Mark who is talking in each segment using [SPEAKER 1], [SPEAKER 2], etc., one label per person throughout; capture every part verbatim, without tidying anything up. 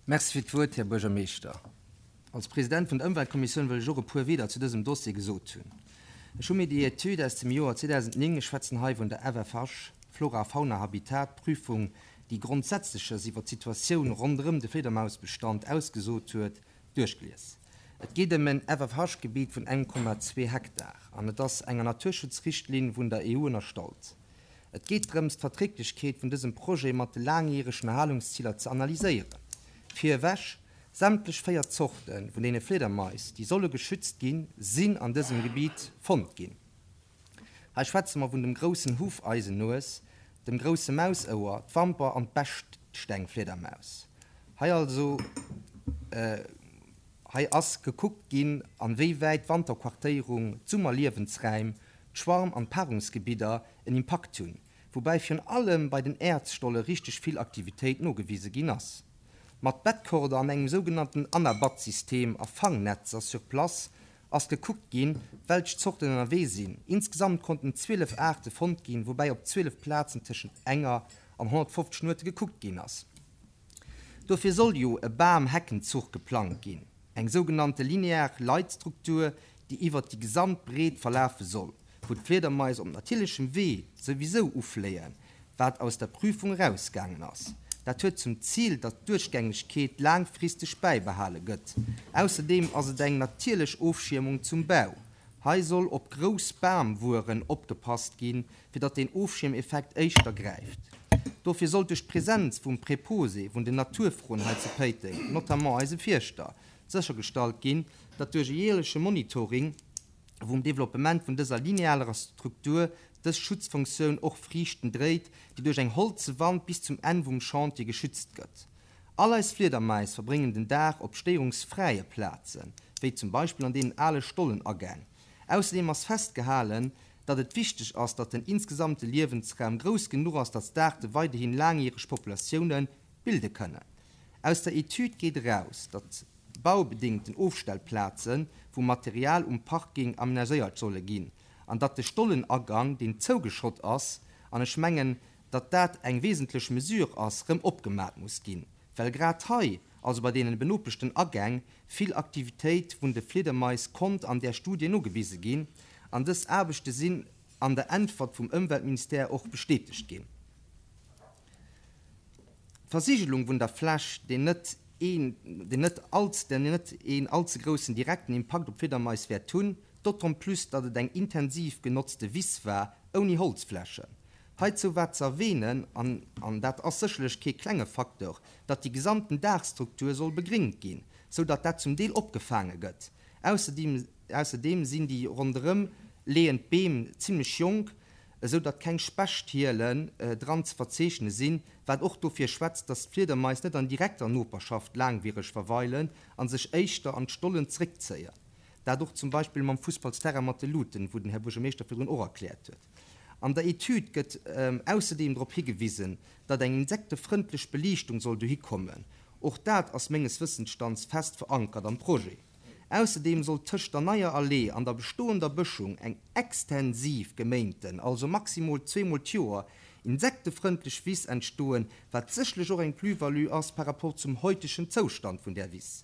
[SPEAKER 1] Merci fir d'Wuert, Här Buergermeeschter. Als President vun der Ëmweltkommissioun wëll ech och e puer Wieder zu dësem Dossier gesot hunn. Ech hu mir déi Etüd aus dem Joer zweedausendnéng, ech schwätzen hei vun der F F H, Flora Fauna Habitat Prüfung, déi Grondsätzleches iwwer d'Situatioun ronderëm de Fliedermausbestand ausgesot huet, duerchgelies. Et geet ëm en F F H-Gebiet vun een Komma zwee Hektar an et ass enger Naturschutzrichtlinn vun der E U ënnerstallt. Et geet drëms, d'Verträglechkeet vun dësem Projet mat de laangjäregen Erhalungsziler ze analyséieren. Virewech, sämtlech véier Zorte vun deene Fliedermais, déi solle geschützt ginn, sinn an dësem Gebiet fonnt ginn. Hei schwätze mer vun dem groussen Hufeisennues, dem grousse Mausouer, d'Wamper an d'Bechstengfliedermaus. Hei also hei ass gekuckt ginn, a wéi wäit d'Wanterquartéierung, d'Summerliewensraim, d'Schwarm an d'Paarungsgebidder en Impakt hunn, woubäi virun allem bei den Äerzstolle richteg vill Aktivitéit nogewise ginn ass. Mat Batcorder an engem sougenannten Anabat-System a Fangnetzer sur place ass gekuckt ginn, welch Zorten ënnerwee sinn. Insgesamt konnten zwielef Aarte fonnt ginn, woubäi op zwielef Plazen tëschent enger an honnertfofzeg Nuete gekuckt ginn ass. Dofir soll jo e Bam-Heckenzuch geplangt ginn, eng sougenannte linear Leitstruktur, déi iwwert déi gesamt Breet verlafe soll, wou d'Fliedermais op natierlechem Wee souwisou ufléien, wat aus der Prüfung erausgaangen ass. Dat huet zum Zil, datt d'Duerchgängegkeet laangfristeg bäibehale gëtt. Ausserdeem ass et eng natierlech Ofschiermung zum Bau. Hei soll op grouss Bamwueren opgepasst ginn, fir datt den Ofschiermeffekt éischter gräift. Dofir soll duerch d'Presenz vum Preposé vun den Naturfrënn hei zu Péiteng, notamment eise Fierschter, séchergestallt ginn, datt duerch e jäerleche Monitoring vum Developpement vun dëser linearer Struktur dës Schutzfunktioun och Friichten dréit, déi duerch eng holze Wand bis zum Enn vum Chantier geschützt gëtt. All eis Fliedermais verbréngen den Dag op stéierungsfräie Plazen, wéi zum Beispill an deenen ale Stollenagäng. Ausserdeem ass festgehalen, datt et wichteg ass, datt den insgesamte Liewensraum grouss genuch ass, datt d'Aarte weiderhin laangjäreg Populatioune bilde kënnen. Aus der Etüd geet eraus, datt baubedéngten Ofstellplaze vum Material um Parking amenagéiert solle ginn an datt de Stollenagang, deen zougeschott ass, an ech mengen, datt dat eng wesentlech Mesure ass, rëm opgemat muss ginn, well grad hei, also bei deenen benopechten Agäng, vill Aktivitéit vun de Fliedermais konnt an där Studie nogewise ginn, an dës Aarbechte sinn an der Äntwert vum Ëmweltministère och bestätegt ginn. D'Versigelung vun der Fläch, déi net een déi net all déi net een allze groussen direkten Impakt op d'Fliedermais wäert hunn, d'autant plus datt et eng intensiv genotzte Wiss war, ouni Holzflächen. Heizou war ze erwänen, an an dat ass sécherlech kee klenge Facteur, datt déi gesamten Daachstruktur soll begréngt ginn, sou datt dat zum Deel opgefaange gëtt. Ausserdeem ausserdeem sinn déi ronderëm leeënd Beem zimmlech jonk, esou datt keng Spechthielen dran ze verzeechne sinn, wat och dofir schwätzt, datt d'Fliedermais net an direkter Noperschaft laangwiereg verweilen a sech éischter an d'Stollen zréckzéien. Dat och zum Beispill mam Fussballsterrain mat de Luuten, wou den Här Buergermeeschter virdrun och erkläert huet. An der Etüd gëtt ausserdeem drop higewisen, datt eng insektefrëndlech Beliichtung soll dohi kommen. Och dat ass menges Wëssensstands fest verankert am Projet. Ausserdeem soll tëscht der neier Allee an der bestoender Bëschung eng extensiv geméinten, also maximol zweemol d'Joer, insektefrëndlech Wiss entstoen, wat sécherlech och eng Plus-value ass par rapport zum heutegen Zoustand vun där Wiss.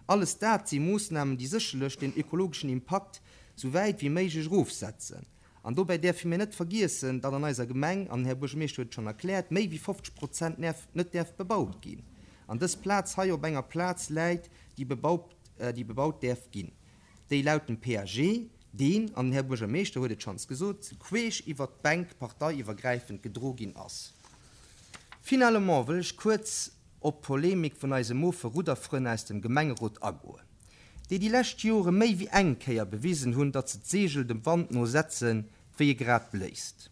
[SPEAKER 1] Alles dat si Moossnamen, déi sécherlech den ökologeschen Impakt sou wäit wéi méiglech erofsetzen. An dobäi däerfe mir net vergiessen, datt an eiser Gemeng, an den Här Buergermeeschter huet et schonn erkläert, méi wéi fofzeg Prozent net däerf bebaut ginn an dës Plaz hei op enger Plaz läit, déi bebaut, déi bebaut däerf ginn, déi laut dem P A G, deen, an den Här Buergermeeschter huet et schonns gesot, queesch iwwert d'Bänk parteiiwwergräifend gedro ginn ass. Finalement wëll ech kuerz op d'Polemik vun eise mofe Rudderfrënn aus dem Gemengerot agoen, déi déi lescht Jore méi wéi eng Kéier bewisen hunn, datt se d'Seegel dem Wand no setzen, wéi e grad bléist.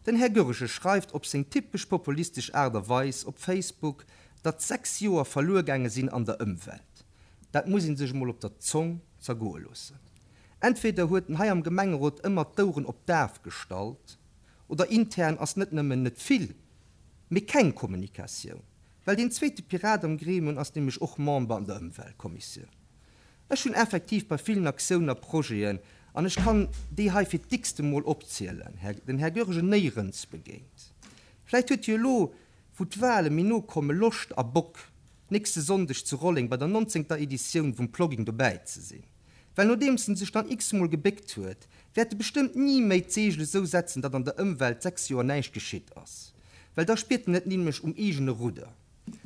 [SPEAKER 1] Den Här Goergen schreift op seng typesch populistesch Aart a Weis op Facebook, datt sechs Joer verluer gaange sinn an der Ëmwelt. Dat muss ee sech emol op der Zong zergoe loossen. Entweder huet en hei am Gemengerot ëmmer d'Oueren op daf gestallt, oder intern ass net nëmmen net vill, mee keng Kommunikatioun. Well deen zweete Pirat am Gremium ass nämlech och Member an der Ëmweltkommissioun. Ech hunn effektiv bei villen Aktiounen a Projeten, an ech kann déi hei fir d'x-te Mol opzielen, den Här Goergen néierens begéint. Vläicht huet hie elo, wou d'Wale méi no kommen, Loscht a Bock, nächste Sonndeg zu Rolleng bei der nonzéngter Editioun vum Plogging dobäi ze sinn. Well nodeems en sech dann x-mol gebéckt huet, wäert e bestëmmt ni méi d'Seegel esou setzen, datt an der Ëmwelt sechs Joer näischt geschitt ass. Well da spiert en et nämlech um eegene Rudder.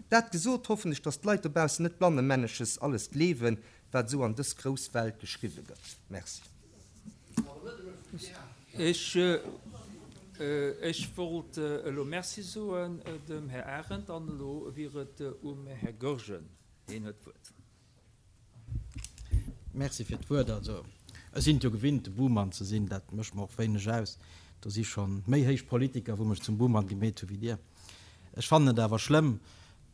[SPEAKER 1] Dat gesot, hoffen ech, datt d'Leit dobaussen net blannemännesches alles gleewen, wat esou an dës grouss Welt geschriwwe gëtt. Merci.
[SPEAKER 2] Ech, ech wollt elo Merci soen dem Här Arendt an elo wier et um Här Goergen. Hien huet d'Wuert.
[SPEAKER 3] Merci fir d'Wuert. Also, ech sinn et jo gewinnt, de Buhmann ze sinn. Dat mécht mer och wéineg aus. Do si scho méi héich Politiker, wou mech zum Buhmann gemeet hu wéi Dir. Ech fannen et awer schlëmm,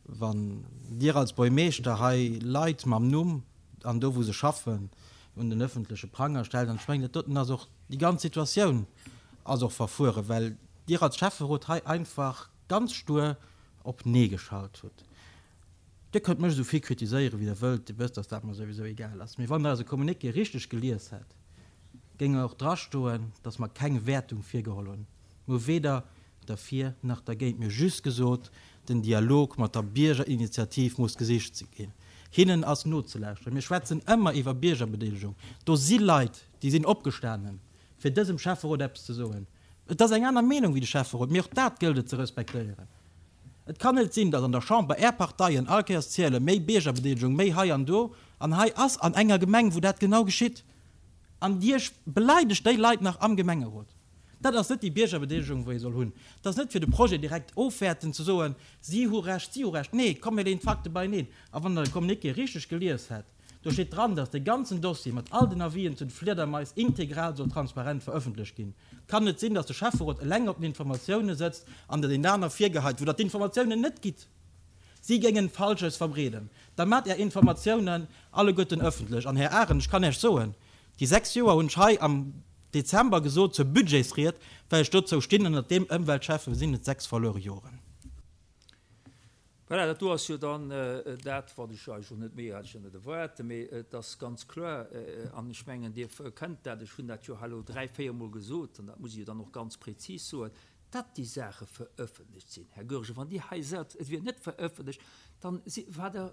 [SPEAKER 3] wann Dir als Buergmeeschter hei Leit mam Numm an do, wou se schaffen, un den öffentleche Pranger stellt. An ech mengen, dat doten ass och, déi ganz Situatioun ass och verfueren, well Dir als Schäfferot hei einfach ganz stur op Nee geschalt hutt. Dir kënnt mech esou vill kritiséieren, wéi Der wëllt, Dir wësst, dass dat mer souwisou egal ass. Mee wann Der eise Communiqué richteg gelies hätt, géing och drastoen, dass mer keng Wäertung virgeholl hunn. Mir hu weder derfir nach dergéint. Mir hu just gesot, den Dialog mat der Biergerinitiativ muss gesicht ginn. Hinnen ass nozelauschteren. Mir schwätzen ëmmer iwwer Biergerbedeelegung. Do si Leit, déi sinn opgestanen, fir dësem Schäfferot eppes ze soen. Et ass eng aner Meenung wéi de Schäfferot, mee och dat gëllt et ze respektéieren. Et kann net sinn, datt an der Chamber Är Parteien all Kéiers ziele méi Biergerbedeelegung, méi hei an do, an hei ass an enger Gemeng, wou dat genau geschitt, an Dir beleidegt déi Leit nach am Gemengerot. Dat ass net déi Biergerbedeelegung, wou ee soll hunn. Et ass net fir de Projet direkt ofwäerten, ze soen, si hu Recht, si hu Recht. Nee, komm mir leeën d'Fakte beieneen. A wann Der de Communiqué richteg gelies hätt, do steet dran, datt dee ganzen Dossier mat all den Avisen zu de Fliedermais integral soll transparent verëffentlecht ginn. Et kann net sinn, datt de Schäfferot eleng op den Informatioune sëtzt an der deenen aner virgeheit, wou Der d'Informatiounen net gitt, si géingen Falsches verbreeden. Da maacht Är Informatiounen alleguerten ëffentlech. An, Här Arendt, ech kann Iech soen, déi sechs Joer hunn ech hei am Dezember gesot zur Budgetsried, well ech dozou stinn, ënnert deem Ëmweltschäffe sinn et sechs verluere Joren.
[SPEAKER 2] Voilà, dat do ass jo dann dat, wat ech eigentlech och net méi, hat ech jo net erwaart, mee et ass ganz kloer, an ech mengen, Dir kënnt dat, ech hunn dat jo hei elo dräi, véier Mol gesot, an dat muss ech jo dann och ganz prezis soen, datt déi Saache verëffentlecht sinn. Här Goergen, wann Dir hei sot, et wier net verëffentlecht, dann si, war Der,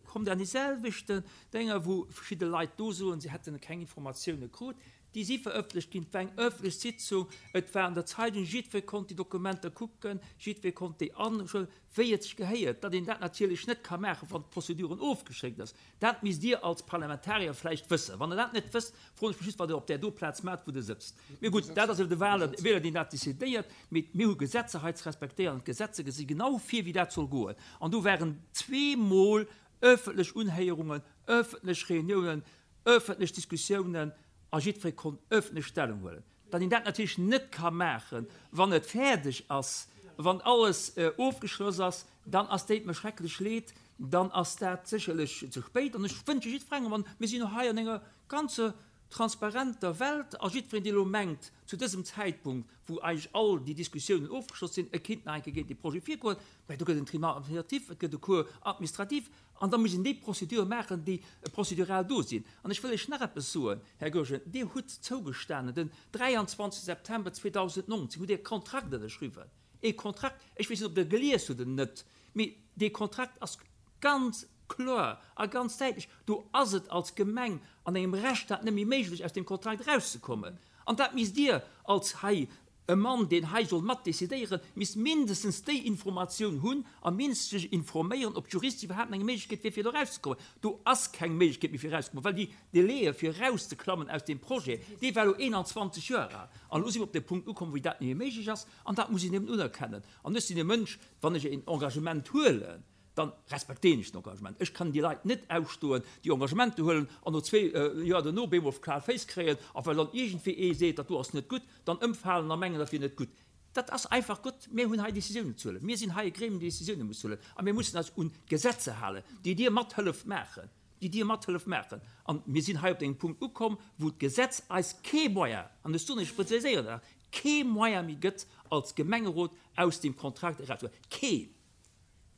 [SPEAKER 2] kommt Der an déi selwechten Dénger, wou verschidde Leit do soen, se hätten keng Informatioune krut. Déi si verëffentlecht ginn. Et war eng ëffentlech Sitzung, et war an der Zeitung, jiddweree konnt déi Dokumenter kucken, jiddweree konnt déi anschauen, wéi et sech gehéiert. Datt een dat natierlech net ka maachen, wann d'Prozeduren ofgeschéckt ass, dat misst Dir als Parlamentarier vläicht wëssen. Wann Der dat net wësst, froen ech mech just, wat Der op där do Plaz maacht, wou Der sëtzt. Mee gutt, dat ass elo de Wahler, Wieler, deen dat decidéiert. Mee mir hu Gesetzer hei ze respektéieren an d'Gesetzer gesi genau vir, wéi dat soll goen. An do waren zweemol ëffentlech Unhéierungen, ëffentlech Reuniounen, ëffentlech Diskussiounen a jiddweree konnt ëffentlech Stellung huelen. Datt een dat natierlech net ka maachen, wann et fäerdeg ass, wann alles ofgeschloss ass, dann ass, deet mer schrecklech leed, dann ass dat sécherlech ze spéit. An ech wënsche jiddwerengem, an mir sinn jo hei an enger ganzer transparenter Welt, a jiddwereen, dee elo mengt, zu dësem Zäitpunkt, wou eigentlech all déi Diskussiounen ofgeschloss sinn, e kinnt nach eng Kéier géint dee Projet virgoen, mä do gëtt en Tribunal administratif, et gëtt e Cour administrative, an da muss een déi Procédure maachen, déi prozedural do sinn. An ech wëll lech nach eppes soen, Här Goergen, Dir hutt zougestanen, den dräianzwanzeg September zweedausendnonzéng hutt Dir e Kontrakt ënnerschriwwen, ee Kontrakt, ech weess net, ob Der e gelies hutt oder net, mee dee Kontrakt ass ganz kloer a ganz däitlech, do ass et als Gemeng an engem Rechtsstaat net méi méiglech, aus deem Kontrakt erauszekommen. An dat misst Dir als hei e Mann, deen hei soll mat decidéieren, misst mindestens déi Informatioun hunn a mindestens sech informéieren, ob d'Juristen iwwerhaapt nach eng Méiglechkeet wier, fir do erauszekommen. Do ass keng Méiglechkeet méi, fir erauszekommen, well déi Délaië fir erauszeklammen aus deem Projet, dee war elo eenanzwanzeg Joer al. An elo si mer op de Punkt ukomm, wou dat net méi méiglech ass. An dat muss een eben unerkennen. An ech sinn e Mënsch, wann ech en Engagement huelen, dann respektéieren ech den Engagement. Ech kann déi Leit net ausstoen, déi Engagementer huelen an no zwee Joer duerno op eemol kal Féiss kréien a well dann iergendwéi ee seet, dat do ass net gutt, dann ëmfalen a mengen, dat wier net gutt. Dat ass einfach gutt. Mir hunn hei Décisiounen ze huelen. Mir sinn hei e Gremium, deen Décisiounen muss huelen. A mir mussen eis un d'Gesetzer halen, déi Dir mat hëlleft maachen, déi Dir mat hëlleft maachen. A mir sinn hei op engem Punkt ukomm, wou d'Gesetz eis kee Moyen, an ech soen, ech präziséieren dat nach, kee Moyen méi gëtt, als Gemengerot aus deem Kontrakt erauszegoen. Keen!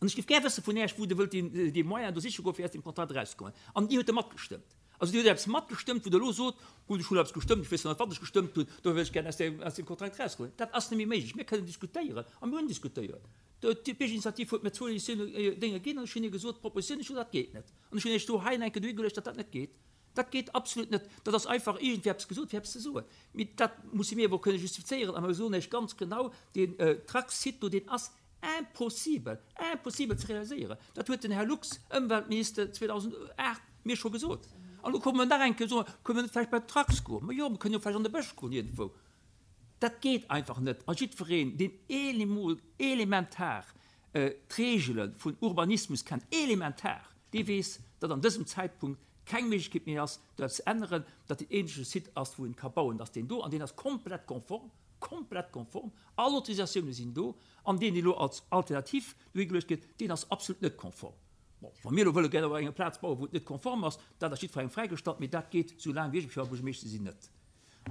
[SPEAKER 2] An ech géif gär wësse vun Äech, wou Der wëllt déi Moyenen do siche goen, fir aus deem Kontrakt erauszekommen. An Dir hutt e matgestëmmt. Also Dir hutt eppes matgestëmmt, wou Der elo sot, Gutt, ech hunn eppes gestëmmt, ech weess nach net, wat ech gestëmmt hunn, dofir wëll ech gär aus deem Kontrakt erausgoen. Dat ass net méi méiglech. Mir kënnen diskutéieren, a mir hunn diskutéiert. D'Biergerinitiativ huet mir zwou Dénge ginn an ech hunn hir gesot, d'Propositioun, ech hunn, dat geet net. An ech hunn Iech do hei enke duergeluecht, datt dat net geet. Dat geet absolut net. Dat ass einfach iergendwéi eppes gesot, fir eppes ze soen. Mee dat musse mir awer och kënne justifizéieren. A mir soen Iech ganz genau, deen Track-Site do, deen ass impossibel, impossibel ze realiséieren. Dat huet den Här Lux, Ëmweltminister, zweedausendacht mir scho gesot. An elo komme mer nach eng Kéier soen, Kënne mer net vläicht bei den Trax goen? Ma jo, mer kënnen jo vläicht an de Bësch goen iergendwou. Dat geet einfach net. A jiddwereen, deen emol elementar d'Reegele vun Urbanismus kennt, elementar, dee weess, datt an dësem Zäitpunkt keng Méiglechkeet méi ass, do eppes ze änneren, datt deen eenzege Site ass, wou een ka bauen, datt deen do, an deen ass komplett konform, komplett konform, all Autorisatioune sinn do, an deen, deen elo als Alternativ dohigeluecht gëtt, deen ass absolut net konform. Bon, wa mir elo wëlle gär op enger Plaz bauen, wou et net konform ass, dat ass jiddwerengem fräigestallt, mee dat geet, soulaang wéi ech Buergermeeschter sinn, net.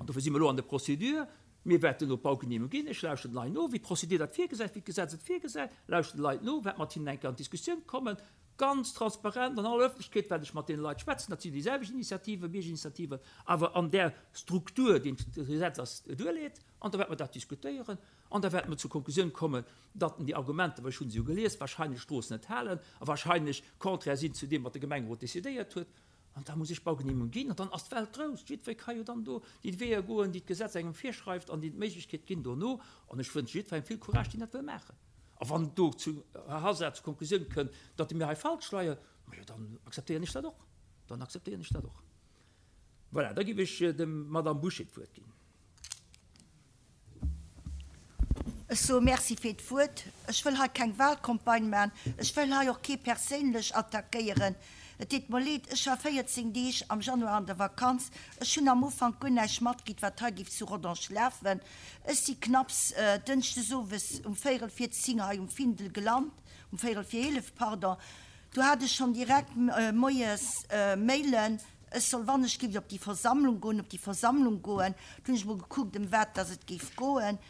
[SPEAKER 2] An dofir si mer elo an der Procédure. Mir wäerten elo d'Baugenehmegung ginn. Ech lauschteren de Leit no, wéi d'Procédure dat virgesäit, wéi d'Gesetz et virgesäit, lauschteren de Leit no, wäert mat hinnen eng Kéier an d'Diskussioun kommen, ganz transparent an aller Öffentlechkeet wäert ech mat deene Leit schwätzen. Dat sinn déi selwecht Initiativen, Biergerinitiativen, awer an där Struktur, déi d'Gesetz eis duerleet. An da wäerte mer dat diskutéieren an da wäerte mer zur Konklusioun kommen, datt déi Argumenter, well ech hu se jo gelies, wahrscheinlech d'Strooss net halen a wahrscheinlech contraire sinn zu deem, wat de Gemengerot decidéiert huet. An da muss ech Baugenehmegung ginn an dann ass d'Welt grouss. Jiddweree ka jo dann do déi Weeër goen, déi d'Gesetz engem virschreift an déi d'Méiglechkeet ginn dono. An ech wënsche jiddwerengem vill Courage, deen dat wëll maachen. A wann do zu Här Hasard zur Konklusioun kënnt, datt mir hei falsch leien, majo, dann akzeptéieren ech dat och. Dann akzeptéieren ech dat och. Voilà, da géif ech dem Madame Bouché d'Wuert ginn.
[SPEAKER 4] Ech soe Merci fir d'Wuert. Ech wëll hei keng Wahlcampagne maachen. Ech wëll hei och kee perséinlech attackéieren. Et deet mer leed, ech war véierzéng Deeg am Januar an der Vakanz. Ech hunn am Ufank guer näischt matkritt, wat hei géif zu Rodange lafen. Ech si knapps dënschdes owes um véierel vir zéng hei um Findel gelant, um véierel vir eelef, pardon. Do hat ech schonn direkt moies Mailen, ech soll wann ech géif op déi Versammlung goen, op déi Versammlung goen. Du hunn ech mol gekuckt, ëm wat dass et géif goen.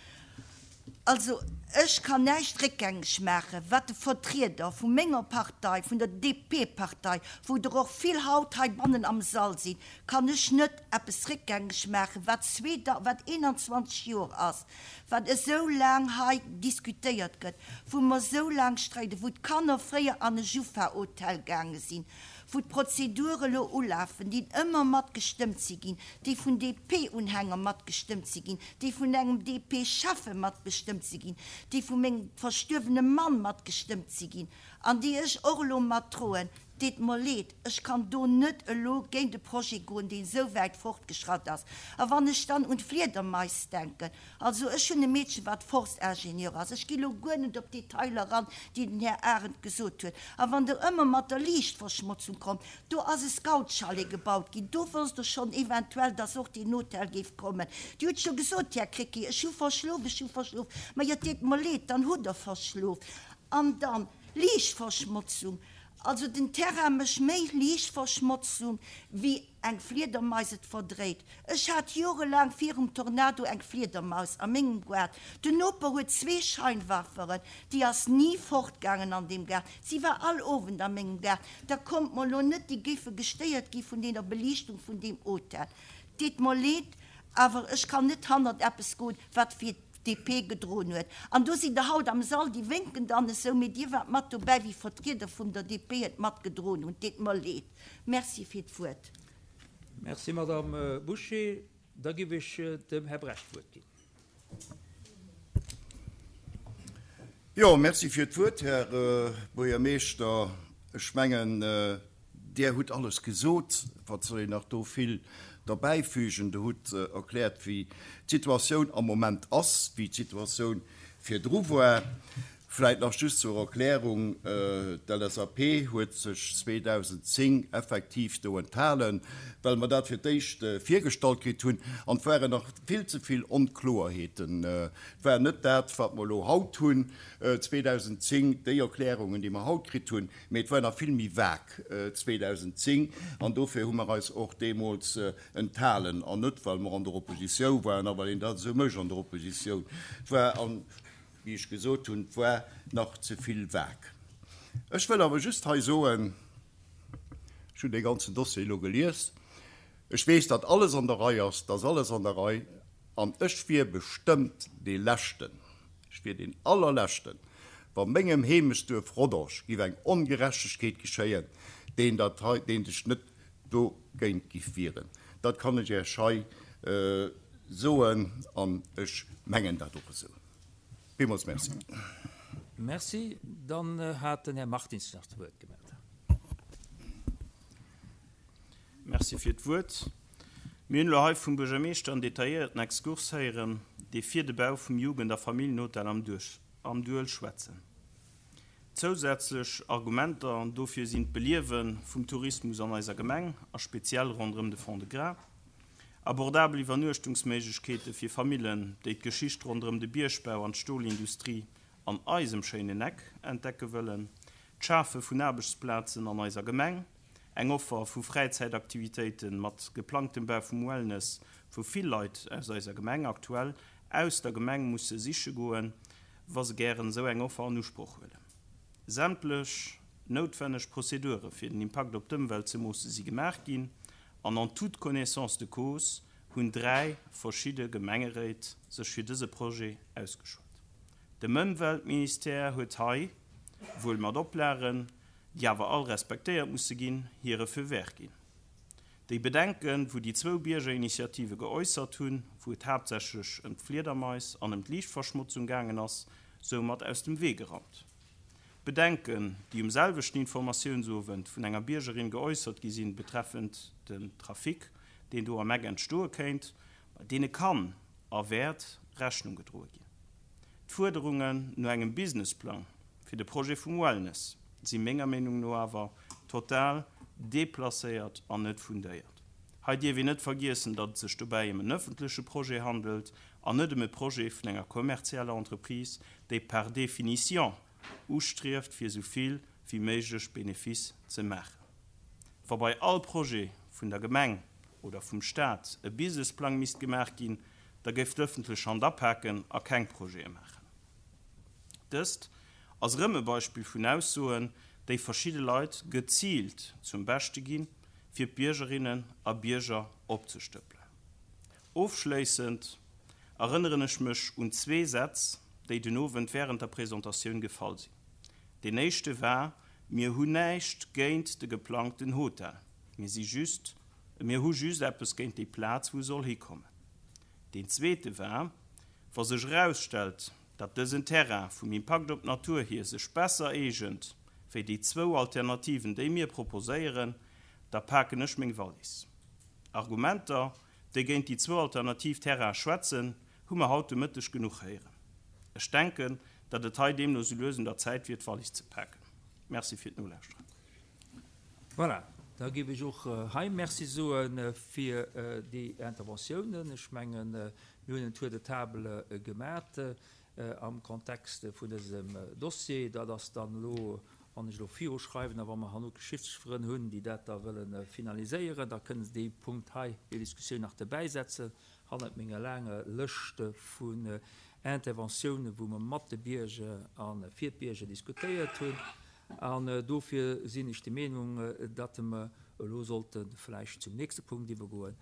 [SPEAKER 4] Also, ech kann näischt réckgängeg maachen, wat de Vertrieder vu menger Partei, vun der D P-Partei, wou der och vill haut heibannen am Sall sinn, kann ech net eppes réckgängeg maachen, wat zwee, wat eenanzwanzeg Joer ass, wat esou laang hei diskutéiert gëtt, wou mer esou laang streiden, wou d'Kanner fréier an e Jufa-Hotel gaange sinn, wou d'Prozedure elo ulafen, déi ëmmer matgestëmmt si ginn, déi vun D P-Unhänger matgestëmmt si ginn, déi vun engem D P-Schäffe matbestëmmt si ginn, déi vu mengem verstuerwene Mann matgestëmmt si ginn an déi ech och elo matdroen. Deet mer leed, ech kann do net elo géint de Projet goen, deen esou wäit fortgeschratt ass. A wann ech dann un d'Fliedermais denken, also ech hunn e Meedchen, wat Forstingenieur ass, ech gi lo guer net op d'Detailer eran, déi den Här Arendt gesot huet, a wann Der ëmmer mat der Liichtverschmotzung kommt, do ass e Scoutschalet gebaut ginn, do wosst Der schonn eventuell, dass och deen Hotel géif kommen. Dir hutt scho gesot, Här Krecké, ech hu verschlof, ech hu verschlof. Ma jo, et deet mer leed, dann hutt Der verschlof. An dann Liichtverschmotzung, also den Terrain mécht méi Liichtverschmotzung wéi eng Fliedermais et verdréit. Ech hat jorelaang virum Tornado eng Fliedermaus a mengem Gaart. Den Noper huet zwee Scheinwerferen, déi ass ni fortgaangen an deem Gaart. Si war all Owend a mengem Gaart. Da kommt mer lo net, déi géife gestéiert gi vun deeër Beliichtung vun deem Hotel. Deet mer leed, awer ech kann net hannert eppes goen, wat fir d'D P gedroen huet. An do sinn der haut am Sall, déi wénken dann esou, mee Dir waart mat dobäi, wéi Vertrieder vun der D P et matgedroen hunn. Deet mer leed. Merci fir d'Wuert.
[SPEAKER 2] Merci, Madame Bouché. Da géif ech dem Här Brecht d'Wuert ginn.
[SPEAKER 5] Jo, merci fir d'Wuert, Här Buergermeeschter. Ech mengen, Dir hutt alles gesot. Wat soll een nach do vill derbäifügen? Der hutt erkläert, wéi d'Situatioun am Moment ass, wéi d'Situatioun virdru war. Vläicht nach just zur Erklärung, D'L S A P huet sech zweedausendzéng effektiv do enthalen, well mer dat fir d'éischt virgestallt kritt hunn an et waren nach vill ze vill Onkloerheeten. Et war net dat, wat mer elo haut hunn, zweedausendzéng, déi Erklärungen, déi mer haut kritt hunn, mee et war nach vill méi vague zweedausendzéng an dofir hu mer eis och deemools enthalen an net, well mer an der Oppositioun waren a well een dat esou mécht an der Oppositioun. Et war, wéi ech gesot hunn, et war nach ze vill vague. Ech wëll awer just hei soen, ech hunn dee ganzen Dossier elo gelies, ech weess, datt alles an der Rei ass, datt alles an der Rei, an ech wier bestëmmt dee Leschten, ech wier deen Allerleschten, wa mengem Heemechtsduerf Rodange giff eng Ongerechtegkeet geschéien, deen dat hei, deen sech net dogéint giff wieren. Dat kann ech Iech hei soen an ech mengen dat och esou. Villmools Merci.
[SPEAKER 2] Merci. Dann hat den Här Martins nach d'Wuert gemellt.
[SPEAKER 6] Merci fir d'Wuert. Mir hunn elo hei vum Buergermeeschter en detailléierten Exkurs héieren, dee fir de Bau vum Jugend a Familljenhotel am Duel schwätzen. Zousätzlech Argumenter dofir sinn d'Beliewe vum Tourismus an eiser Gemeng a speziell ronderëm de Fond-de-Gras, abordabel Iwwernuechtungsméiglechkeete fir Famillen, déi d'Geschicht ronderëm de Biergbau an d'Stolindustrie an eisem schéinen Eck entdecke wëllen, d'Schafe vun Aarbechtsplazen an eiser Gemeng, eng Offer vu Fräizäitaktivitéite mat geplangtem Bau vum Wellness, wou vill Leit aus eiser Gemeng aktuell aus der Gemeng musse siche goen, wa se gären esou eng Offer an Usproch huelen. Sämtlech noutwenneg Prozedure fir den Impakt op d'Ëmwelt ze moosse si gemaach ginn an en toute connaissance de cause hunn dräi verschidde Gemengeréit sech fir dëse Projet ausgeschwat. Dem Ëmweltministère huet hei, wuel mat Oplagen, déi awer all respektéiert musse ginn, hire Feu vert ginn. Déi Bedenken, wou déi zwou Biergerinitiative geäussert hunn, wou et haaptsächlech ëm d'Fliedermais an ëm d'Liichtverschmotzung gaangen ass, soumat aus dem Wee geraumt. D'Bedenken, déi um selwechten Informatiounsowend vun enger Biergerin geäussert gi sinn, betreffend den Trafic, deen do am Eck entstoe kéint, deene kann a wäert Rechnung gedroe ginn. D'Fuerderungen no engem Businessplang fir de Projet vum Wellness si menger Meenung no awer total deplacéiert an net fundéiert. Hei dierf een net vergiessen, datt et sech dobäi ëm en ëffentleche Projet handelt an net ëm e Projet vun enger kommerzieller Entreprise, déi par définition ustrieft fir esou vill wéi méiglech Benefice ze maachen. Wa bei all Projet vun der Gemeng oder vum Staat e Businessplang misst gemaach ginn, da géif d'ëffentlech Hand apaken a keng Projete maachen. Dëst ass erëm e Beispill vun Aussoen, déi verschidde Leit geziilt zum Beschte ginn, fir d'Biergerinnen a Bierger opzestëppelen. Ofschléissend erënneren ech mech un zwee Sätz, déi den Owend wärend der Presentatioun gefall sinn. Deen éischte war, Mir hunn näischt géint de geplangten Hotel, mir si just, mir hu just eppes géint déi Plaz, wou e soll hikommen. Deen zweete war, Wa sech erausstellt, datt dësen Terrain vum Impakt op d'Natur hier sech besser eegent wéi déi zwou Alternativen, déi mir proposéieren, da paken ech meng Wallis. Argumenter, déi géint déi zwou alternativ Terraine schwätzen, hu mer haut de Mëtteg genuch héieren. Ech denken, datt et hei deemno sou lues un der Zäit wier, d'Wallis ze paken. Merci fir d'Nolauschteren.
[SPEAKER 2] Voilà, da géif ech och hei Merci soe fir déi Interventiounen. Ech mengen, mir hunn en Tour de table gemat am Kontext vun dësem Dossier. Dat ass dann elo, wann ech elo viruschreiwen a wa mer herno d'Geschichtsfrënn hunn, déi dat da wëlle finaliséieren, da kënnen se dee Punkt hei, déi Diskussioun nach dobäisetzen hannert menger laanger Lëscht vun Interventiounen, wou mer mat de Bierger a fir d'Bierger diskutéiert hunn. An dofir sinn ech der Meenung, datt mer elo sollte vläicht zum nächste Punkt iwwergoen.